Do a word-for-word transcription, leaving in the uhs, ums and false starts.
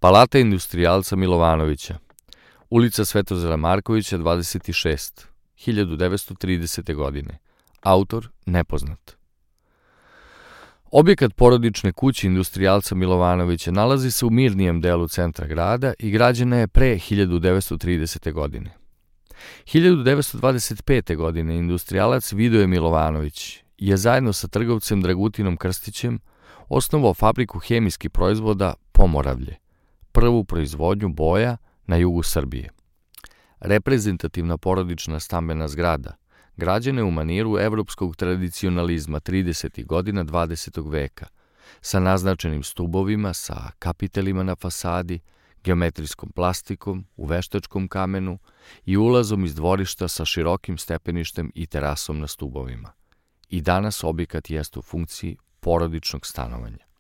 Palata industrijalca Milovanovića, ulica Svetozara Markovića dvadeset šest, hiljadu devetsto tridesete. godine. Autor nepoznat. Objekat porodične kuće industrijalca Milovanovića nalazi se u mirnijem delu centra grada i građena je pre hiljadu devetsto tridesete. godine. hiljadu devetsto dvadeset pete. godine industrijalac Vidoje Milovanović je zajedno sa trgovcem Dragutinom Krstićem osnovao fabriku hemijskih proizvoda Pomoravlje, prvu proizvodnju boja na jugu Srbije. Reprezentativna porodična stambena zgrada, građena je u maniru evropskog tradicionalizma tridesetih godina dvadesetog veka, sa naznačenim stubovima, sa kapitelima na fasadi, geometrijskom plastikom u veštačkom kamenu i ulazom iz dvorišta sa širokim stepeništem i terasom na stubovima. I danas objekat jeste u funkciji porodičnog stanovanja.